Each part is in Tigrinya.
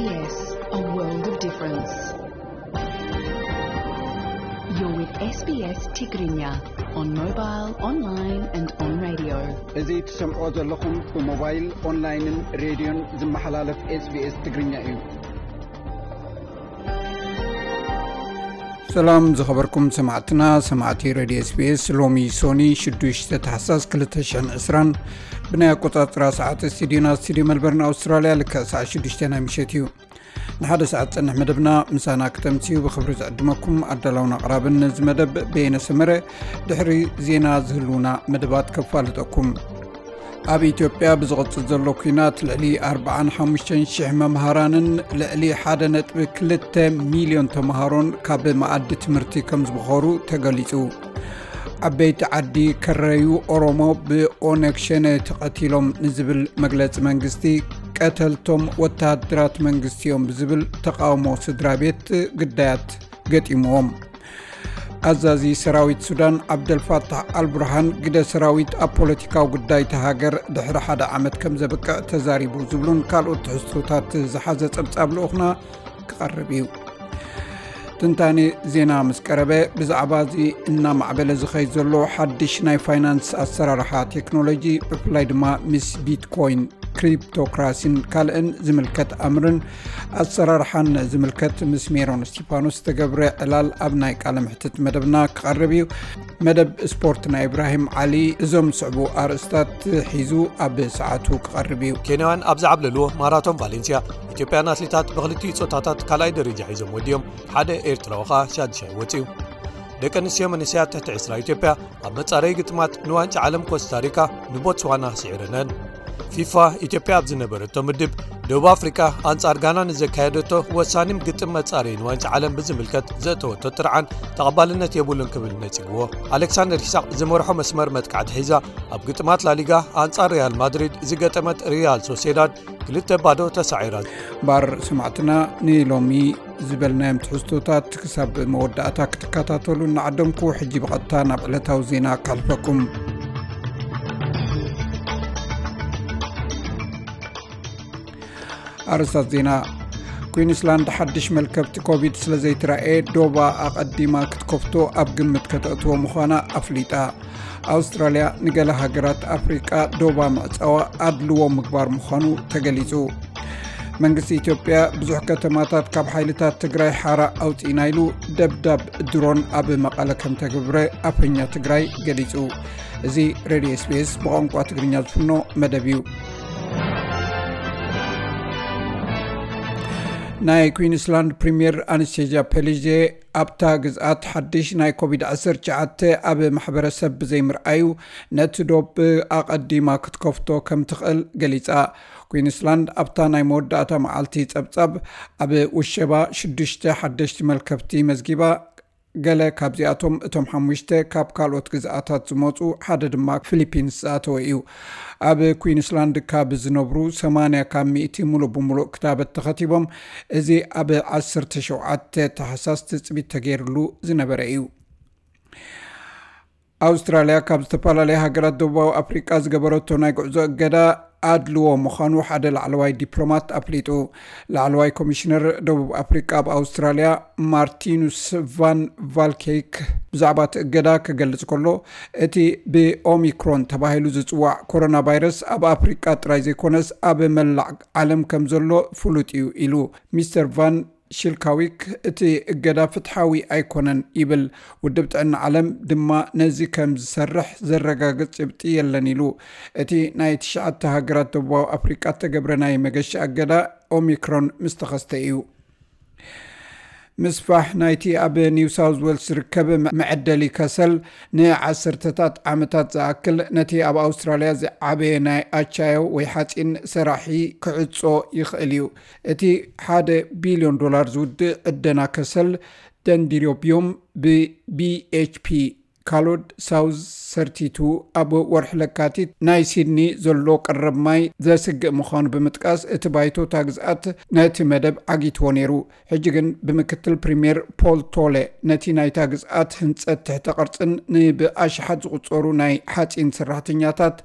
Yes, a world of difference. You're with S B S Tigrinya on mobile, online and on radio. እዚ ትሰምዖ ዘለኹም ብሞባይል፣ ኦንላይንን ሬድዮን ዝመሓላለፍ SBS ትግርኛ እዩ። ሰላም ዝኸበርኩም ሰማዕትና፣ ሰማዕቲ ሬድዮ SBS። ሎሚ ሶኒ ሽዱሽተ ታሕሳስ ክልተ ሽሕን ዕስራን ብናይ ኣቆጻጽራ ሰዓት ስቱዲዮና ስቱዲዮ መልበርን ኣውስትራልያ ልክዕ ሰዓት ሽዱሽተ ናይ ምሸት እዩ። ንሓደ ሰዓት ጸንሕ መደብና ምሳና ክተምስዩ ብኽብሪ ዝዕድመኩም ኣዳላውን ኣቕራብን ነዚ መደብ በየነ ሰመረ። ድሕሪ ዜና ዝህልውና መደባት ከፋልጠኩም። ኣብ ኢትዮጵያ ብዝቕጽል ዘሎ ኲናት ልዕሊ ኣርባዓን ሓሙሽተን ሽሕ መምሃራንን ልዕሊ ሓደ ነጥቢ ክልተ ሚልዮን ተምሃሮን ካብ መኣዲ ትምህርቲ ከም ዝበኾሩ ተገሊጹ። ዓበይቲ ዓዲ ከረዩ ኦሮሞ ብኦነግ ሸነ ተቐቲሎም ንዝብል መግለጺ መንግስቲ፣ ቀተልቶም ወተሃደራት መንግስቲ እዮም ብዝብል ተቃውሞ ስድራ ቤት ግዳያት ገጢምዎም። ኣዛዚ ሰራዊት ሱዳን ዓብደልፋታሕ ኣልቡርሃን፣ ግደ ሰራዊት ኣብ ፖለቲካዊ ጉዳይ እታ ሃገር ድሕሪ ሓደ ዓመት ከም ዘብቅዕ ተዛሪቡ ዝብሉን ካልኦት ትሕዝቶታት ዝሓዘ ጸብጻብ ልኡኽና ክቐርብ እዩ። ትንታኔ ዜና ምስ ቀረበ፣ ብዛዕባ እዚ እናማዕበለ ዝኸይድ ዘሎ ሓድሽ ናይ ፋይናንስ ኣሰራርሓ ቴክኖሎጂ፣ ብፍላይ ድማ ምስ ቢትኮይን፣ ክሪፕቶክራሲን ካልእን ዝምልከት ኣምርን ኣሰራርሓን ዝምልከት ምስ ሜሮን እስቲፋኖስ ዝተገብረ ዕላል ኣብ ናይ ቃለ ምሕትት መደብና ክቐርብ እዩ። መደብ ስፖርት ናይ ኢብራሂም ዓሊ እዞም ዝስዕቡ ኣርእስታት ሒዙ ኣብ ሰዓቱ ክቐርብ እዩ። ኬንያውያን ኣብ ዝዓብለልዎ ማራቶን ቫሌንሲያ፣ ኢትዮጵያን ኣትሌታት ብክልቲኡ ጾታታት ካልኣይ ደረጃ ሒዞም ወዲኦም፣ ሓደ ኤርትራዊ ኸኣ ሻድሻይ ወጺኡ። ደቂ ኣንስትዮ መንእሰያት ትሕቲ ዕስራ ኢትዮጵያ ኣብ መጻረዪ ግጥማት ንዋንጫ ዓለም ኮስታሪካ ንቦትስዋና ስዒረነን። ፊፋ፣ ኢትዮጵያ ኣብ ዝነበረቶ ምድብ፣ ደቡብ ኣፍሪቃ ኣንጻር ጋና ንዘካየደቶ ወሳኒ ግጥም መጻረዪ ንዋንጫ ዓለም ብዝምልከት ዘእተወቶ ጥርዓን ተቐባልነት የብሉን ክብል ነጺግዎ። ኣሌክሳንደር ይስሐቅ ዝመርሖ መስመር መጥቃዕቲ ሒዛ፣ ኣብ ግጥማት ላሊጋ ኣንጻር ሪያል ማድሪድ ዝገጠመት ሪያል ሶሴዳድ ክልተ ባዶ ተሳዒራ። ባር ሰማዕትና፣ ንሎሚ ዝበልናዮም ትሕዝቶታት ክሳብ መወዳእታ ክትከታተሉ እናዓደምኩ፣ ሕጂ ብቐጥታ ናብ ዕለታዊ ዜና ከሕልፈኩም። ኣርእስታት ዜና። ኩዊንስላንድ ሓድሽ መልከፍቲ ኮቪድ ስለ ዘይትራእየ፣ ዶባ ኣቐዲማ ክትከፍቶ ኣብ ግምት ከተእትዎ ምዃና ኣፍሊጣ። ኣውስትራልያ ንገለ ሃገራት ኣፍሪቃ ዶባ ምዕጻዋ ኣድልዎ ምግባር ምዃኑ ተገሊጹ። መንግስቲ ኢትዮጵያ ብዙሕ ከተማታት ካብ ሓይልታት ትግራይ ሓራ ኣውጺእና ኢሉ፣ ደብዳብ ድሮን ኣብ መቐለ ከም ተገብረ ኣፈኛ ትግራይ ገሊጹ። እዚ ሬድዮ SBS ብቋንቋ ትግርኛ ዝፍኖ መደብ እዩ። ናይ ኩዊንስላንድ ፕሪምየር ኣነስቴዥያ ፔሊዜ፣ ኣብታ ግዝኣት ሓድሽ ናይ ኮቪድ ዓሰርተ ትሽዓተ ኣብ ማሕበረሰብ ብዘይምርኣዩ፣ ነቲ ዶብ ኣቐዲማ ክትከፍቶ ከም ትኽእል ገሊጻ። ኩዊንስላንድ ኣብታ ናይ መወዳእታ መዓልቲ ጸብጻብ ኣብ ውሸባ ሽዱሽተ ሓደሽቲ መልከፍቲ መዝጊባ፣ ገለ ካብዚኣቶም እቶም ሓሙሽተ ካብ ካልኦት ግዝኣታት ዝመጹ፣ ሓደ ድማ ፊሊፒንስ ዝኣተወ እዩ። ኣብ ኩዊንስላንድ ካብ ዝነብሩ ሰማንያ ካብ ሚእቲ ሙሉእ ብሙሉእ ክታበት ተኸቲቦም፣ እዚ ኣብ ዓሰርተ ሸውዓተ ታሕሳስ ትጽቢት ተገይርሉ ዝነበረ እዩ። ኣውስትራልያ ካብ ዝተፈላለያ ሃገራት ደቡባዊ ኣፍሪቃ ዝገበረቶ ናይ ጉዕዞ እገዳ ኣድልዎ ምዃኑ ሓደ ላዕለዋይ ዲፕሎማት ኣፍሊጡ። ላዕለዋይ ኮሚሽነር ደቡብ ኣፍሪቃ ኣብ ኣውስትራልያ ማርቲኑስ ቫን ቫልኬይክ ብዛዕባ እቲ እገዳ ክገልጽ ከሎ፣ እቲ ብኦሚክሮን ተባሂሉ ዝጽዋዕ ኮሮና ቫይረስ ኣብ ኣፍሪቃ ጥራይ ዘይኮነስ ኣብ መላእ ዓለም ከም ዘሎ ፍሉጥ እዩ ኢሉ። ሚስተር ቫን ሽልካዊክ፣ እቲ እገዳ ፍትሓዊ ኣይኮነን ይብል። ውድብ ጥዕና ዓለም ድማ ነዚ ከም ዝሰርሕ ዘረጋግጽ ጭብጢ የለን ኢሉ። እቲ ናይ ትሽዓተ ሃገራት ደቡባዊ ኣፍሪቃ እተገብረ ናይ መገሻ እገዳ ኦሚክሮን ምስ ተኸስተ እዩ። ምስፋሕ ናይቲ ኣብ ኒው ሳውዝ ዌልስ ዝርከብ መ-፣ መዐደሊ ከሰል ንዓሰርተታት ዓመታት ዝኣክል ነቲ ኣብ ኣውስትራልያ ዝዓበየ ናይ ኣቻዮ ወይ ሓጺን ሰራሒ ክዕጾ ይኽእል እዩ። እቲ ሓደ ቢልዮን ዶላር ዝውድእ ዕደና ከሰል ደንዲሮቢዮም ብ-፣ ቢ ኤች ፒ ካሎድ ሳውዝ ሰርቲቱ ኣብ ወርሒ ለካቲት ናይ ሲድኒ ዘሎ ቀረብ ማይ ዘስግእ ምዃኑ ብምጥቃስ፣ እቲ ባይቶ እታ ግዝኣት ነቲ መደብ ዓጊትዎ ነይሩ። ሕጂ ግን ብምክትል ፕሪምየር ፖል ቶለ ነቲ ናይታ ግዝኣት ህንጸት ትሕተ ቅርጽን ንብኣሽሓት ዝቑጸሩ ናይ ሓጺን ሰራሕተኛታት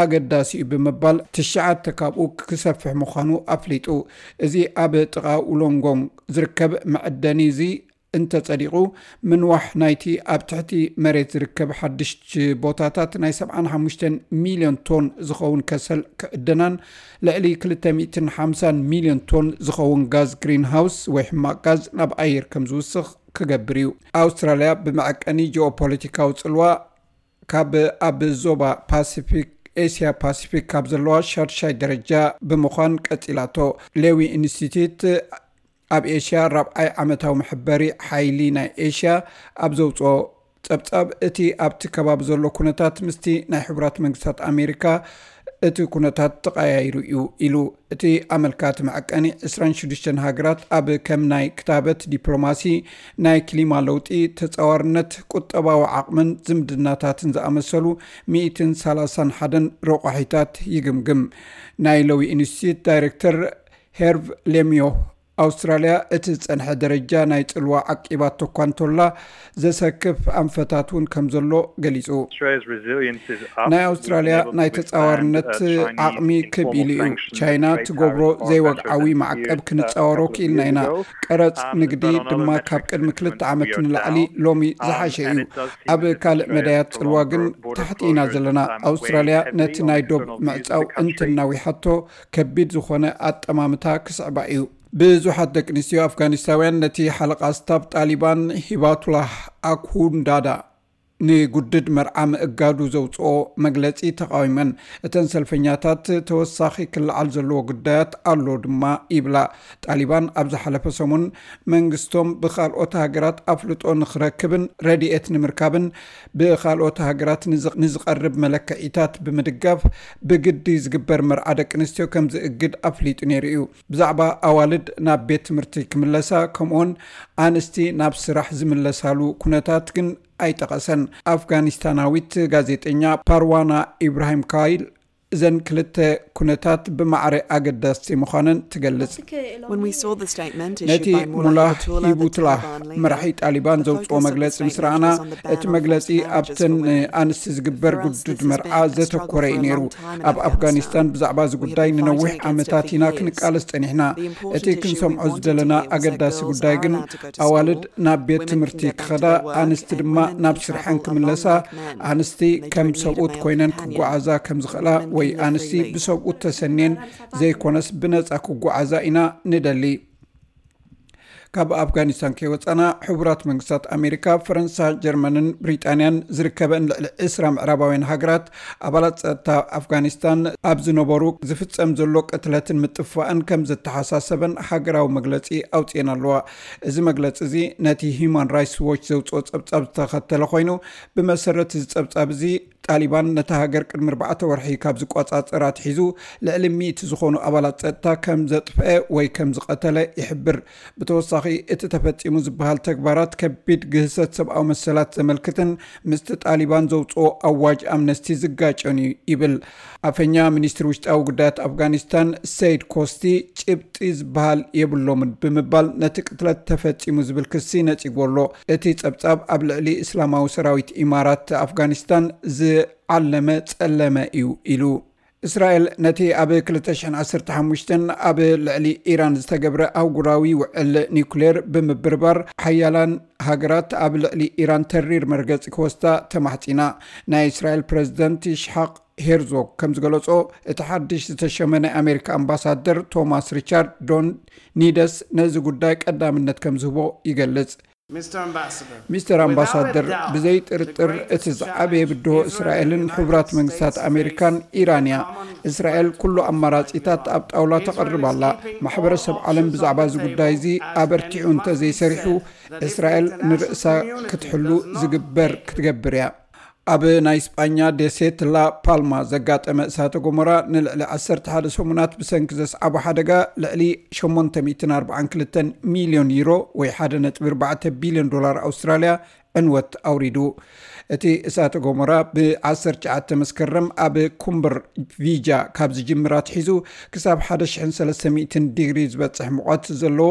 ኣገዳሲ እዩ ብምባል ትሽዓተ ካብኡ ክሰፍሕ ምዃኑ ኣፍሊጡ። እዚ ኣብ ጥቓ ውሎንጎንግ ዝርከብ መዐደኒ እዚ እንተጸዲቑ፣ ምንዋሕ ናይቲ ኣብ ትሕቲ መሬት ዝርከብ ሓድሽ ቦታታት ናይ ሰብዓን ሓሙሽተን ሚልዮን ቶን ዝኸውን ከሰል ክዕደናን ልዕሊ ክልተ ሚእትን ሓምሳን ሚልዮን ቶን ዝኸውን ጋዝ ግሪንሃውስ ወይ ሕማቕ ጋዝ ናብ ኣየር ከም ዝውስኽ ክገብር እዩ። ኣውስትራልያ ብመዐቀኒ ጂኦፖለቲካዊ ጽልዋ ካብ ኣብ ዞባ ፓሲፊክ፣ ኤስያ ፓሲፊክ ካብ ዘለዋ ሻድሻይ ደረጃ ብምዃን ቀጺላቶ። ሌዊ ኢንስቲትዩት ኣብ ኤስያ ራብዓይ ዓመታዊ መሐበሪ ሓይሊ ናይ ኤስያ ኣብ ዘውፅኦ ጸብጻብ፣ እቲ ኣብቲ ከባቢ ዘሎ ኩነታት ምስቲ ናይ ሕቡራት መንግስታት ኣሜሪካ እቲ ኩነታት ተቐያይሩ እዩ ኢሉ። እቲ ኣመልካቲ መዐቀኒ ዕስራን ሽዱሽተን ሃገራት ኣብ ከም ናይ ክታበት፣ ዲፕሎማሲ፣ ናይ ክሊማ ለውጢ፣ ተጻዋርነት፣ ቁጠባዊ ዓቕምን ዝምድናታትን ዝኣመሰሉ ሚእትን ሰላሳን ሓደን ረቋሒታት ይግምግም። ናይ ሎዊ ኢንስቲትዩት ዳይሬክተር ሄርቭ ሌምዮ፣ ኣውስትራልያ እቲ ዝጸንሐ ደረጃ ናይ ጽልዋ ዓቂባቶ እኳ እንተላ፣ ዘሰክፍ ኣንፈታት እውን ከም ዘሎ ገሊጹ። ናይ ኣውስትራልያ ናይ ተጻዋርነት ዓቕሚ ክብ ኢሉ እዩ። ቻይና ትገብሮ ዘይወግዓዊ ማዕቀብ ክንጻወሮ ክኢልና ኢና። ቀረጽ ንግዲ ድማ ካብ ቅድሚ ክልተ ዓመት ንላዕሊ ሎሚ ዝሓሸ እዩ። ኣብ ካልእ መዳያት ጽልዋ ግን ታሕቲ ኢና ዘለና። ኣውስትራልያ ነቲ ናይ ዶብ ምዕጻው እንተናዊሓቶ፣ ከቢድ ዝኾነ ኣጠማምታ ክስዕባ እዩ። ብዙሓት ደቂ ኣንስትዮ ኣፍጋኒስታውያን ነቲ ሓለቓ ስታፍ ጣሊባን ሂባቱላህ ኣኩንዳዳ ንጉድድ መርዓ ምእጋዱ ዘውፅኦ መግለፂ ተቃዊመን። እተን ሰልፈኛታት፣ ተወሳኺ ክለዓል ዘለዎ ጉዳያት ኣሎ ድማ ይብላ። ጣሊባን ኣብ ዝሓለፈ ሰሙን መንግስቶም ብካልኦት ሃገራት ኣፍልጦ ንክረክብን ረድኤት ንምርካብን ብካልኦት ሃገራት ንዝ-፣ ንዝቐርብ መለክዒታት ብምድጋፍ ብግዲ ዝግበር መርዓ ደቂ ኣንስትዮ ከም ዝእግድ ኣፍሊጡ ነይሩ እዩ። ብዛዕባ ኣዋልድ ናብ ቤት ትምህርቲ ክምለሳ፣ ከምኡውን ኣንስቲ ናብ ስራሕ ዝምለሳሉ ኩነታት ግን ኣይጠቐሰን። ኣፍጋኒስታናዊት ጋዜጠኛ ፓርዋና ኢብራሂም ካይል እዘን ክልተ ኩነታት ብማዕረ ኣገዳስቲ ምዃነን ትገልጽ። When we saw the statement ነቲ issued by ሙላህ Mullah Hibutullah, ሂቡቱላህ the Taliban leader, መራሒ ጣሊባን the ዘውፅኦ focus of the መግለፂ ምስ statement ረኣና፣ was on the ban እቲ on መግለፂ Western ኣብተን marriages, ኣንስቲ ዝግበር for ጉድድ instance, መርዓ has troubled ዘተኮረ እዩ ነይሩ። Muslims and ኣብ Afghanistan's ኣፍጋኒስታን ብዛዕባ እዚ ጉዳይ ንነዊሕ ዓመታት ኢና ክንቃለስ ጸኒሕና። እቲ ክንሰምዖ ዝደለና ኣገዳሲ ጉዳይ ግን ኣዋልድ ናብ ቤት ትምህርቲ ክኸዳ፣ ኣንስቲ ድማ ናብ ስርሐን ክምለሳ፣ ኣንስቲ ከም ሰብኡት ኮይነን ክጓዓዛ ከም ዝኽእላ ወይ ኣንስቲ ብሰብኡት ተሰንየን ዘይኮነስ ብነጻ ክጓዓዛ ኢና ንደሊ። ካብ ኣፍጋኒስታን ከይወጻና፣ ሕቡራት መንግስታት ኣሜሪካ፣ ፈረንሳ፣ ጀርመንን ብሪጣንያን ዝርከበን ልዕሊ ዕስራ ምዕራባውያን ሃገራት ኣባላት ጸጥታ ኣፍጋኒስታን ኣብ ዝነበሩ ዝፍጸም ዘሎ ቅትለትን ምጥፋእን ከም ዘተሓሳሰበን ሃገራዊ መግለጺ ኣውጽኤን ኣለዋ። እዚ መግለጺ እዚ ነቲ ሂዩማን ራይትስ ዎች ዘውጽኦ ጸብጻብ ዝተኸተለ ኮይኑ፣ ብመሰረት እዚ ጸብጻብ እዚ፣ ጣሊባን ነታ ሃገር ቅድሚ ኣርባዕተ ወርሒ ካብ ዝቆጻጸራ ኣትሒዙ፣ ልዕሊ ሚእቲ ዝኾኑ ኣባላት ጸጥታ ከም ዘጥፍአ ወይ ከም ዝቐተለ ይሕብር። ብተወሳኺ፣ እቲ ተፈጺሙ ዝበሃል ተግባራት ከቢድ ግህሰት ሰብኣዊ መሰላት ዘመልክትን ምስቲ ጣሊባን ዘውጽኦ ኣዋጅ ኣምነስቲ ዝጋጨን እዩ ይብል። ኣፈኛ ሚኒስትሪ ውሽጣዊ ጉዳያት ኣፍጋኒስታን ሰይድ ኮስቲ፣ ጭብጢ ዝበሃል የብሎምን ብምባል ነቲ ቅትለት ተፈጺሙ ዝብል ክሲ ነጺግዎ ኣሎ። እቲ ጸብጻብ ኣብ ልዕሊ እስላማዊ ሰራዊት ኢማራት ኣፍጋኒስታን ዝዓለመ ጸለመ እዩ ኢሉ። እስራኤል ነቲ ኣብ ክልተ ሽሕን ዓሰርተ ሓሙሽተን ኣብ ልዕሊ ኢራን ዝተገብረ ኣህጉራዊ ውዕል ኒውክሌር ብምብርባር፣ ሓያላን ሃገራት ኣብ ልዕሊ ኢራን ተሪር መርገጺ ክወስዳ ተማሕጺና። ናይ እስራኤል ፕረዚደንት ይስሓቅ ሄርዞግ ከም ዝገለጾ፣ እቲ ሓድሽ ዝተሸመ ናይ ኣሜሪካ ኣምባሳደር ቶማስ ሪቻርድ ዶን ኒደስ ነዚ ጉዳይ ቀዳምነት ከም ዝህቦ ይገልጽ። ሚስተር ኣምባሳደር፣ ብዘይ ጥርጥር እቲ ዝዓበየ ብድሆ እስራኤልን ሕቡራት መንግስታት ኣሜሪካን ኢራን እያ። እስራኤል ኩሉ ኣማራጺታት ኣብ ጣውላ ተቕርብ ኣላ። ማሕበረሰብ ዓለም ብዛዕባ እዚ ጉዳይ እዚ ኣበርቲዑ እንተዘይሰሪሑ፣ እስራኤል ንርእሳ ክትሕሉ ዝግበር ክትገብር እያ። ኣብ ናይ ስጳኛ ደሴት ላ ፓልማ ዘጋጠመ እሳተ ጎመራ ንልዕሊ ዓሰርተ ሓደ ሰሙናት ብሰንኪ ዘስዓቦ ሓደጋ ልዕሊ ሸሞንተ ሚእትን ኣርባዓን ክልተን ሚልዮን ዩሮ ወይ ሓደ ነጥቢ ኣርባዕተ ቢልዮን ዶላር ኣውስትራልያ ዕንወት ኣውሪዱ። እቲ እሳተ ጎመራ ብ19 መስከረም ኣብ ኩምብር ቪጃ ካብ ዝጅምር ኣትሒዙ ክሳብ ሓደ ሽሕን ሰለስተ ሚእትን ዲግሪ ዝበጽሕ ሙቐት ዘለዎ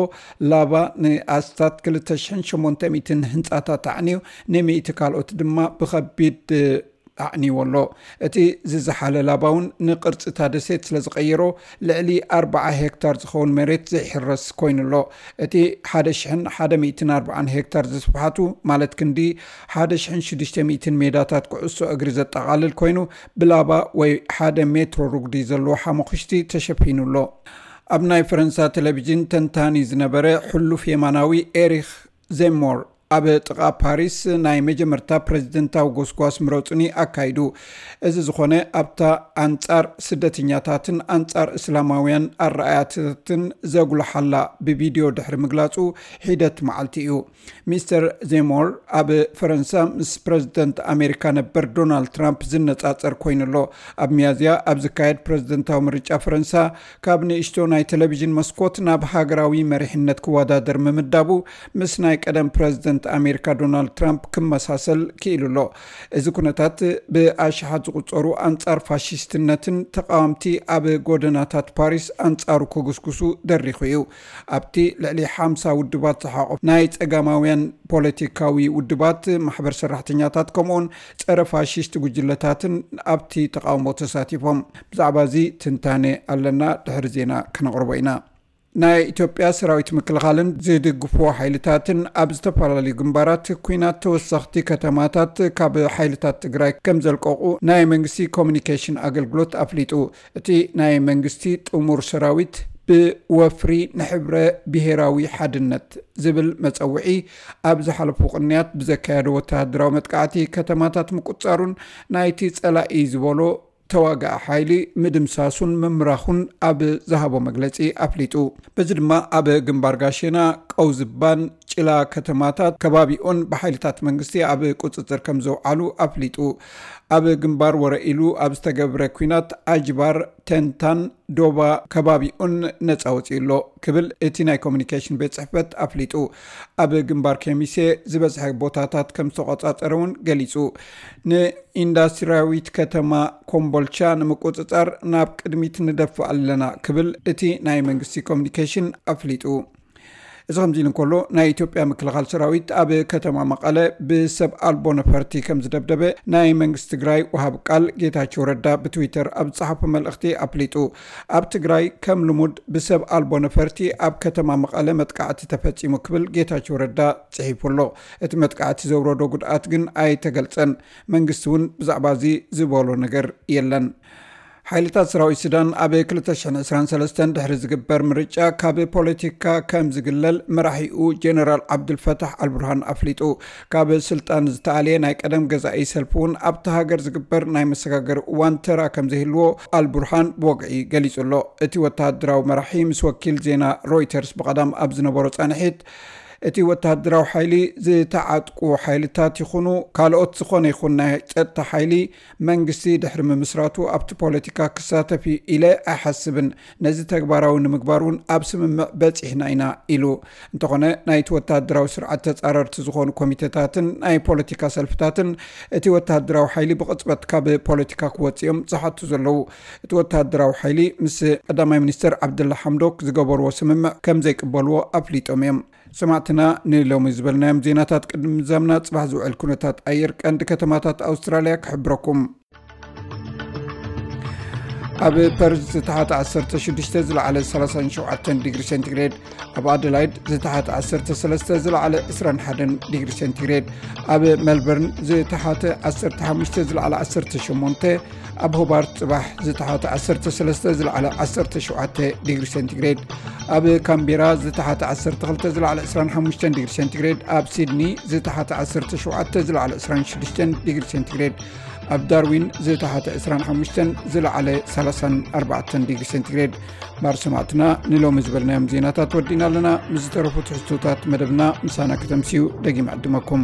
ላቫ ንኣስታት ክልተ ሽሕን ሸሞንተ ሚእትን ህንጻታት ኣዕንዩ፣ ንሚእቲ ካልኦት ድማ ብኸቢድ ኣዕንይዎ ኣሎ። እቲ ዝዘሓለ ላባ እውን ንቅርጺታ ደሴት ስለ ዝቐየሮ፣ ልዕሊ ኣርብዓ ሄክታር ዝኸውን መሬት ዘይሕረስ ኮይኑ ኣሎ። እቲ ሓደ ሽሕን ሓደ ሚእትን ኣርብዓን ሄክታር ዝስፍሓቱ፣ ማለት ክንዲ ሓደ ሽሕን ሽዱሽተ ሚእትን ሜዳታት ኩዕሶ እግሪ ዘጠቓልል ኮይኑ፣ ብላባ ወይ ሓደ ሜትሮ ርጉዲ ዘለዎ ሓመኹሽቲ ተሸፊኑ ኣሎ። ኣብ ናይ ፈረንሳ ቴሌቪዥን ተንታኒ ዝነበረ ሕሉፍ የማናዊ ኤሪክ ዜሞር፣ ኣብ ጥቓ ፓሪስ ናይ መጀመርታ ፕሬዝደንታዊ ጎስጓስ ምረጹኒ ኣካይዱ። እዚ ዝኾነ ኣብታ ኣንጻር ስደተኛታትን ኣንጻር እስላማውያን ኣረኣያታትን ዘጉልሓላ ብቪድዮ ድሕሪ ምግላጹ ሒደት መዓልቲ እዩ። ሚስተር ዜሞር ኣብ ፈረንሳ ምስ ፕሬዝደንት ኣሜሪካ ነበር ዶናልድ ትራምፕ ዝነጻጸር ኮይኑ ኣሎ። ኣብ ሚያዝያ ኣብ ዝካየድ ፕሬዝደንታዊ ምርጫ ፈረንሳ፣ ካብ ንእሽቶ ናይ ቴሌቪዥን መስኮት ናብ ሃገራዊ መሪሕነት ክወዳደር ምምዳቡ፣ ምስ ናይ ቀደም ፕሬዝደንት ኣሜሪካ ዶናልድ ትራምፕ ክመሳሰል ክኢሉ ኣሎ። እዚ ኩነታት ብኣሽሓት ዝቑጸሩ ኣንጻር ፋሽስትነትን ተቓወምቲ ኣብ ጎደናታት ፓሪስ ኣንጻሩ ክጉስጉሱ ደሪኹ እዩ። ኣብቲ ልዕሊ ሓምሳ ውድባት ዝሓቆፍ ናይ ጸጋማውያን ፖለቲካዊ ውድባት፣ ማሕበር ሰራሕተኛታት፣ ከምኡውን ጸረ ፋሽስት ጉጅለታትን ኣብቲ ተቓውሞ ተሳቲፎም። ብዛዕባ እዚ ትንታነ ኣለና፣ ድሕሪ ዜና ከነቕርቦ ኢና። ናይ ኢትዮጵያ ሰራዊት ምክልኻልን ዝድግፍዎ ሓይልታትን ኣብ ዝተፈላለዩ ግንባራት ኲናት ተወሰኽቲ ከተማታት ካብ ሓይልታት ትግራይ ከም ዘልቀቑ ናይ መንግስቲ ኮሚኒኬሽን ኣገልግሎት ኣፍሊጡ። እቲ ናይ መንግስቲ ጥሙር ሰራዊት ብወፍሪ ንሕብረ ብሄራዊ ሓድነት ዝብል መጸውዒ ኣብ ዝሓለፉ ቅንያት ብዘካየዶ ወተሃደራዊ መጥቃዕቲ ከተማታት ምቁጻሩን ናይቲ ጸላኢ ዝበሎ ተዋጋኢ ሓይሊ ምድምሳሱን ምምራኹን ኣብ ዝሃቦ መግለጺ ኣፍሊጡ። በዚ ድማ ኣብ ግንባር ጋሼና፣ ቀውዝባን ጭላ ከተማታት ከባቢኡን ብሓይልታት መንግስቲ ኣብ ቁጽጽር ከም ዘውዓሉ ኣፍሊጡ። ኣብ ግንባር ወረኢሉ ኣብ ዝተገብረ ኲናት ኣጅባር፣ ተንታን፣ ዶባ ከባቢኡን ነጻ ወጺኡ ኣሎ ክብል እቲ ናይ ኮሚኒኬሽን ቤት ጽሕፈት ኣፍሊጡ። ኣብ ግንባር ኬሚሴ ዝበዝሐ ቦታታት ከም ዝተቆጻጸረ እውን ገሊጹ። ንኢንዳስትሪያዊት ከተማ ኮምቦልቻ ንምቁጽጻር ናብ ቅድሚት ንደፍእ ኣለና ክብል እቲ ናይ መንግስቲ ኮሚኒኬሽን ኣፍሊጡ። እዚ ከምዚ ኢሉ እንከሎ፣ ናይ ኢትዮጵያ ምክልኻል ሰራዊት ኣብ ከተማ መቐለ ብሰብ ኣልቦ ነፈርቲ ከም ዝደብደበ ናይ መንግስቲ ትግራይ ወሃብ ቃል ጌታቸው ረዳ ብትዊተር ኣብ ዝጸሓፎ መልእኽቲ ኣፍሊጡ። ኣብ ትግራይ ከም ልሙድ ብሰብ ኣልቦ ነፈርቲ ኣብ ከተማ መቐለ መጥቃዕቲ ተፈጺሙ ክብል ጌታቸው ረዳ ጽሒፉ ኣሎ። እቲ መጥቃዕቲ ዘውረዶ ጉድኣት ግን ኣይተገልጸን። መንግስቲ እውን ብዛዕባ እዚ ዝበሎ ነገር የለን። ሓይልታት ሰራዊት ሱዳን ኣብ ክልተ ሽሕን ዕስራን ሰለስተን ድሕሪ ዝግበር ምርጫ ካብ ፖለቲካ ከም ዝግለል መራሒኡ ጀነራል ዓብዱልፈታሕ ኣልቡርሃን ኣፍሊጡ። ካብ ስልጣን ዝተኣልየ ናይ ቀደም ገዛኢ ሰልፊ እውን ኣብቲ ሃገር ዝግበር ናይ መሰጋገሪ እዋን ተራ ከም ዘይህልዎ ኣልቡርሃን ብወግዒ ገሊጹ ኣሎ። እቲ ወተሃደራዊ መራሒ ምስ ወኪል ዜና ሮይተርስ ብቐዳም ኣብ ዝነበሮ ጻንሒት፣ እቲ ወተሃደራዊ ሓይሊ ዝተዓጥቁ ሓይልታት ይኹኑ ካልኦት ዝኾነ ይኹን ናይ ጸጥታ ሓይሊ መንግስቲ ድሕሪ ምምስራቱ ኣብቲ ፖለቲካ ክሳተፍ እዩ ኢለ ኣይሓስብን። ነዚ ተግባራዊ ንምግባር እውን ኣብ ስምምዕ በጺሕና ኢና ኢሉ። እንተኾነ ናይቲ ወተሃደራዊ ስርዓት ተጻረርቲ ዝኾኑ ኮሚቴታትን ናይ ፖለቲካ ሰልፍታትን እቲ ወተሃደራዊ ሓይሊ ብቕጽበት ካብ ፖለቲካ ክወጽእ እዮም ዝሓቱ ዘለዉ። እቲ ወተሃደራዊ ሓይሊ ምስ ቀዳማይ ሚኒስተር ዓብደላ ሓምዶክ ዝገበርዎ ስምምዕ ከም ዘይቅበልዎ ኣፍሊጦም እዮም። ሰማዕትና፣ ንሎሚ ዝበልናዮም ዜናታት ቅድሚ ምዛምና፣ ጽባሕ ዝውዕል ኩነታት ኣየር ቀንዲ ከተማታት ኣውስትራልያ ክሕብረኩም። ኣብ ፐርዝ ዝተሓተ ዓሰርተ ሽዱሽተ፣ ዝለዓለ ሰላሳን ሸውዓተን ዲግሪ ሴንቲግሬድ፣ ኣብ ኣደላይድ ዝተሓተ ዓሰርተ ሰለስተ፣ ዝለዓለ ዕስራን ሓደን ዲግሪ ሴንቲግሬድ፣ ኣብ ሜልበርን ዝተሓተ ዓሰርተ ሓሙሽተ፣ ዝለዓለ ዓሰርተ ሸሞንተ፣ ኣብ ሆባርት ጽባሕ ዝተሓተ ዓሰርተ ሰለስተ፣ ዝለዓለ ዓሰርተ ሸውዓተ ዲግሪ ሴንቲግሬድ፣ ኣብ ካምቤራ ዝተሓተ ዓሰርተ ክልተ፣ ዝለዓለ ዕስራን ሓሙሽተን ዲግሪ ሴንቲግሬድ፣ ኣብ ሲድኒ ዝተሓተ ዓሰርተ ሸውዓተ፣ ዝለዓለ ዕስራን ሽዱሽተን ዲግሪ ሴንቲግሬድ፣ ኣብ ዳርዊን ዝተሓተ ዕስራን ሓሙሽተን፣ ዝለዓለ ሰላሳን ኣርባዕተን ዲግሪ ሴንቲግሬድ። ማር ሰማዕትና፣ ንሎሚ ዝበልናዮም ዜናታት ወዲና ኣለና። ምስ ዝተረፉ ትሕዝቶታት መደብና ምሳና ከተምስዩ ደጊም ዕድመኩም።